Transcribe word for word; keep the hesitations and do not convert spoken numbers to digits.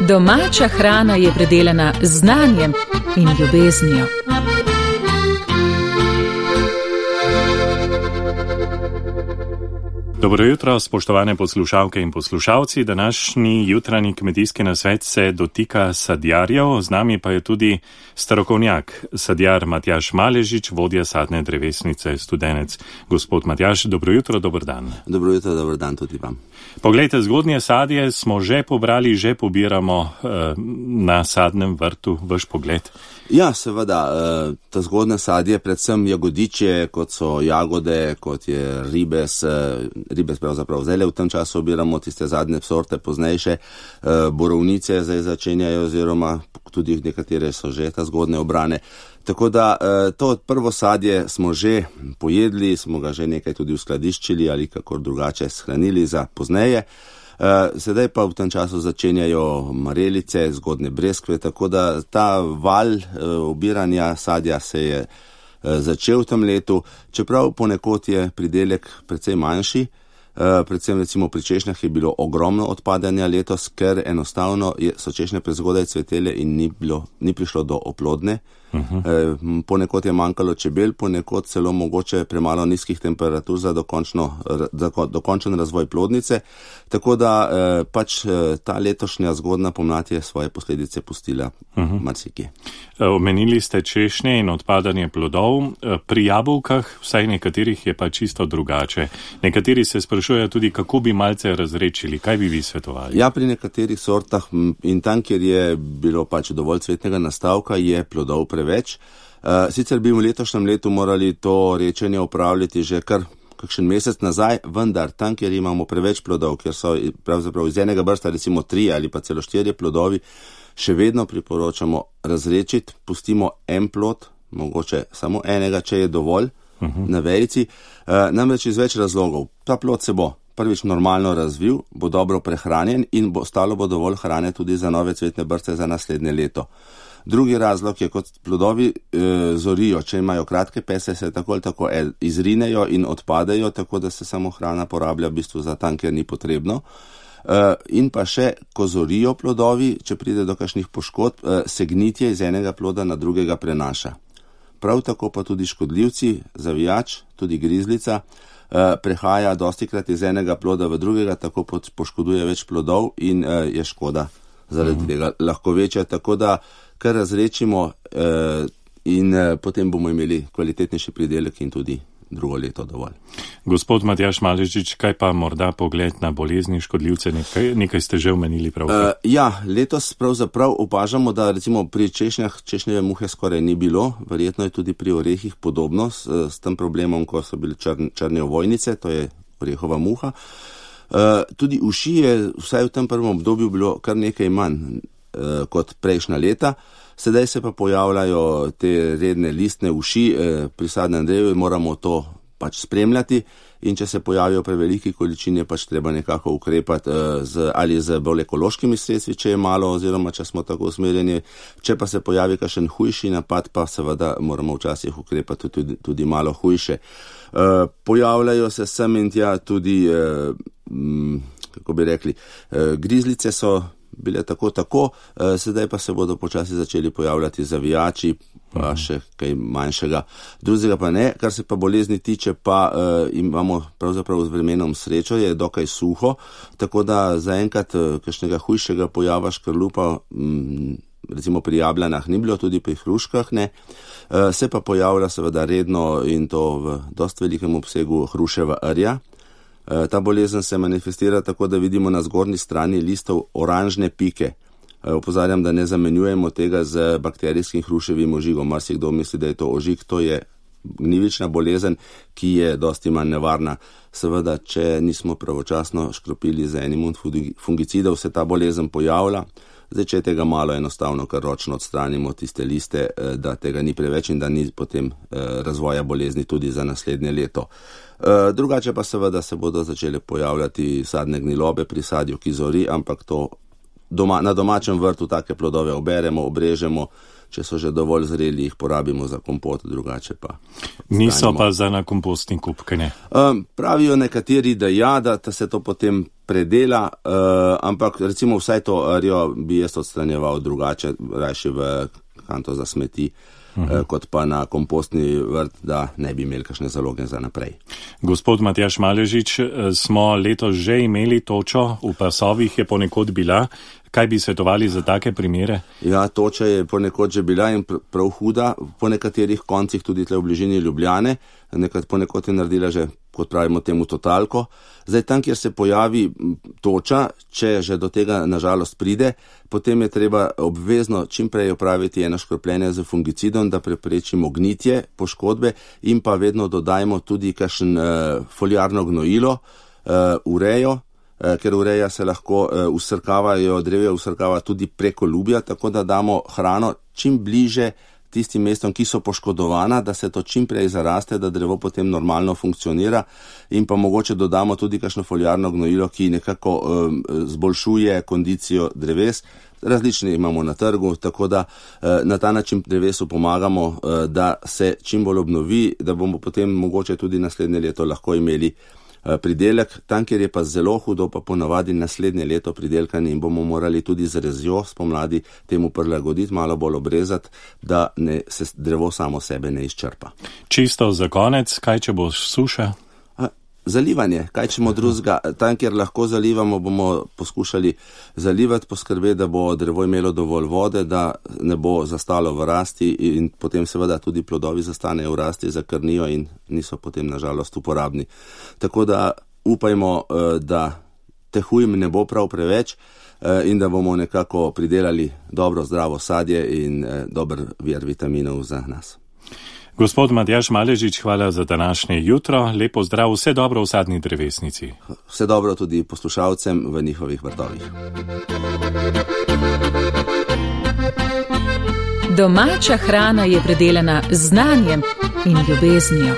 Domača hrana je predelana z znanjem in ljubeznijo. Dobro jutro, spoštovane poslušalke in poslušalci. Današnji jutranji kmetijski nasvet se dotika sadjarjev, z nami pa je tudi strokovnjak, sadjar Matjaž Maležič, vodja sadne drevesnice Studenec. Gospod Matjaž, dobro jutro, dober dan. Dobro jutro, dober dan tudi vam. Poglejte, zgodnje sadje smo že pobrali, že pobiramo eh, na sadnem vrtu. Vaš pogled? Ja, seveda, eh, to zgodnje sadje, predvsem jagodiče, kot so jagode, kot je ribes, eh, ribes pravzaprav zdaj v tem času obiramo tiste zadnje sorte, poznejše, eh, borovnice zdaj začenjajo oziroma tudi nekatere so že ta zgodne obrane. Tako da to prvo sadje smo že pojedli, smo ga že nekaj tudi uskladiščili ali kakor drugače shranili za pozneje. Sedaj pa v tem času začenjajo marelice, zgodne breskve, tako da ta val obiranja sadja se je začel v tem letu, čeprav ponekod je pridelek precej manjši. Predvsem recimo pri češnjah je bilo ogromno odpadanja letos, ker enostavno so češnje prezgodaj cvetele in ni, bilo, ni prišlo do oplodne. Uh-huh. Ponekod je manjkalo čebel, ponekod celo mogoče premalo nizkih temperatur za dokončno, za dokončen razvoj plodnice. Tako da pač ta letošnja zgodna pomlad je svoje posledice pustila uh-huh. marsikje. Omenili ste češnje in odpadanje plodov. Pri jabolkah, vsaj nekaterih, je pa čisto drugače. Nekateri se sprašujejo tudi, kako bi malce razrečili. Kaj bi vi svetovali? Ja, pri nekaterih sortah in tam, kjer je bilo pač dovolj cvetnega nastavka, je plodov preveč. Sicer bi v letošnjem letu morali to rečenje upravljati že kar kakšen mesec nazaj, vendar tam, kjer imamo preveč plodov, kjer so pravzaprav iz enega brsta recimo tri ali pa celo štirje plodovi, še vedno priporočamo razrečiti, pustimo en plod, mogoče samo enega, če je dovolj, uh-huh. na vejici, uh, namreč iz več razlogov. Ta plod se bo prvič normalno razvil, bo dobro prehranjen in bo ostalo bo dovolj hrane tudi za nove cvetne brste za naslednje leto. Drugi razlog je, kot plodovi e, zorijo, če imajo kratke pese, se tako ali tako izrinejo in odpadejo, tako da se samo hrana porablja v bistvu za tam, kjer ni potrebno. E, in pa še, ko zorijo plodovi, če pride do kakšnih poškodb, e, se gnitje iz enega ploda na drugega prenaša. Prav tako pa tudi škodljivci, zavijač, tudi grizlica, e, prehaja dostikrat iz enega ploda v drugega, tako poškoduje več plodov in e, je škoda zaradi tega lahko večja, tako da kar razrečimo eh, in eh, potem bomo imeli kvalitetnejši pridelek in tudi drugo leto dovolj. Gospod Matjaž Maležič, kaj pa morda pogled na bolezni, škodljivce, nekaj, nekaj ste že omenili pravkar? Uh, ja, letos pravzaprav opažamo, da recimo pri češnjah češnjeve muhe skoraj ni bilo, verjetno je tudi pri orehih podobno s, s tem problemom, ko so bile črn, črne ovojnice, to je orehova muha. Uh, tudi uši je vsaj v tem prvem obdobju bilo kar nekaj manj uh, kot prejšnja leta. Sedaj se pa pojavljajo te redne listne uši, uh, pri sadnem drevu moramo to pač spremljati in če se pojavijo preveliki količini, je pač treba nekako ukrepati uh, z, ali z bolj ekološkimi sredstvi, če je malo oziroma če smo tako usmerjeni. Če pa se pojavi kakšen hujši napad, pa seveda moramo včasih ukrepati tudi, tudi malo hujše. Uh, pojavljajo se sem in tja tudi, uh, um, kako bi rekli, uh, grizlice so bile tako tako, uh, sedaj pa se bodo počasi začeli pojavljati zavijači, pa uh-huh. še kaj manjšega. Drugega pa ne, kar se pa bolezni tiče, pa uh, imamo pravzaprav z vremenom srečo, je dokaj suho, tako da zaenkrat uh, kakšnega hujšega pojava škrlupa, um, recimo pri jabljanah ni bilo, tudi pri hruškah ne. Se pa pojavlja seveda redno in to v dost velikem obsegu hruševa rja. Ta bolezen se manifestira tako, da vidimo na zgornji strani listov oranžne pike. Opozarjam, da ne zamenjujemo tega z bakterijskim hruševim ožigom. Marsikdo misli, da je to ožig, to je gnjivična bolezen, ki je dosti manj nevarna. Seveda, če nismo pravočasno škropili z enim od fungicidov, se ta bolezen pojavlja. Zdaj, če tega malo enostavno, kar ročno odstranimo tiste liste, da tega ni preveč in da ni potem razvoja bolezni tudi za naslednje leto. Drugače pa seveda se bodo začele pojavljati sadne gnilobe pri sadju, ki zori, ampak to doma, na domačem vrtu take plodove oberemo, obrežemo, če so že dovolj zreli, jih porabimo za kompot, drugače pa. Niso pa za na kompostni kup, kaj ne? Um, pravijo nekateri, da ja, da se to potem predela, uh, ampak recimo vsaj to arijo bi jaz odstranjeval drugače, rajši v kanto za smeti, uh -huh. uh, kot pa na kompostni vrt, da ne bi imeli kakšne zaloge za naprej. Gospod Matjaž Maležič, smo letos že imeli točo, v pasovih je ponekod bila. Kaj bi svetovali za take primere? Ja, toča je ponekod že bila in prav huda, po nekaterih koncih tudi tle v bližini Ljubljane, nekaj ponekod je naredila že, kot pravimo temu, totalko. Zdaj tam, kjer se pojavi toča, če že do tega nažalost pride, potem je treba obvezno čimprej opraviti eno škropljenje z fungicidom, da preprečimo gnitje, poškodbe in pa vedno dodajmo tudi kakšen uh, foliarno gnojilo, uh, urejo, ker ureja se lahko usrkavajo, drevje usrkava tudi preko lubja, tako da damo hrano čim bliže tistim mestom, ki so poškodovana, da se to čim prej zaraste, da drevo potem normalno funkcionira in pa mogoče dodamo tudi kakšno foliarno gnojilo, ki nekako um, zboljšuje kondicijo dreves. Različne imamo na trgu, tako da na ta način drevesu pomagamo, da se čim bolj obnovi, da bomo potem mogoče tudi naslednje leto lahko imeli pridelek. Tam, kjer je pa zelo hudo, pa ponavadi naslednje leto pridelkanje in bomo morali tudi z rezjo spomladi temu prilagoditi, malo bolj obrezati, da ne, se drevo samo sebe ne izčrpa. Čisto za konec, kaj če bo suša? Zalivanje, kaj čemo drugega. Tam, kjer lahko zalivamo, bomo poskušali zalivati, poskrbeti, da bo drevo imelo dovolj vode, da ne bo zastalo v rasti in potem seveda tudi plodovi zastanejo v rasti, zakrnijo in niso potem nažalost uporabni. Tako da upajmo, da teh ujm ne bo prav preveč in da bomo nekako pridelali dobro, zdravo sadje in dober vir vitaminov za nas. Gospod Matjaž Maležič, hvala za današnje jutro. Lepo zdrav, vse dobro v sadni drevesnici. Vse dobro tudi poslušalcem v njihovih vrtovih. Domača hrana je predelana z znanjem in ljubeznijo.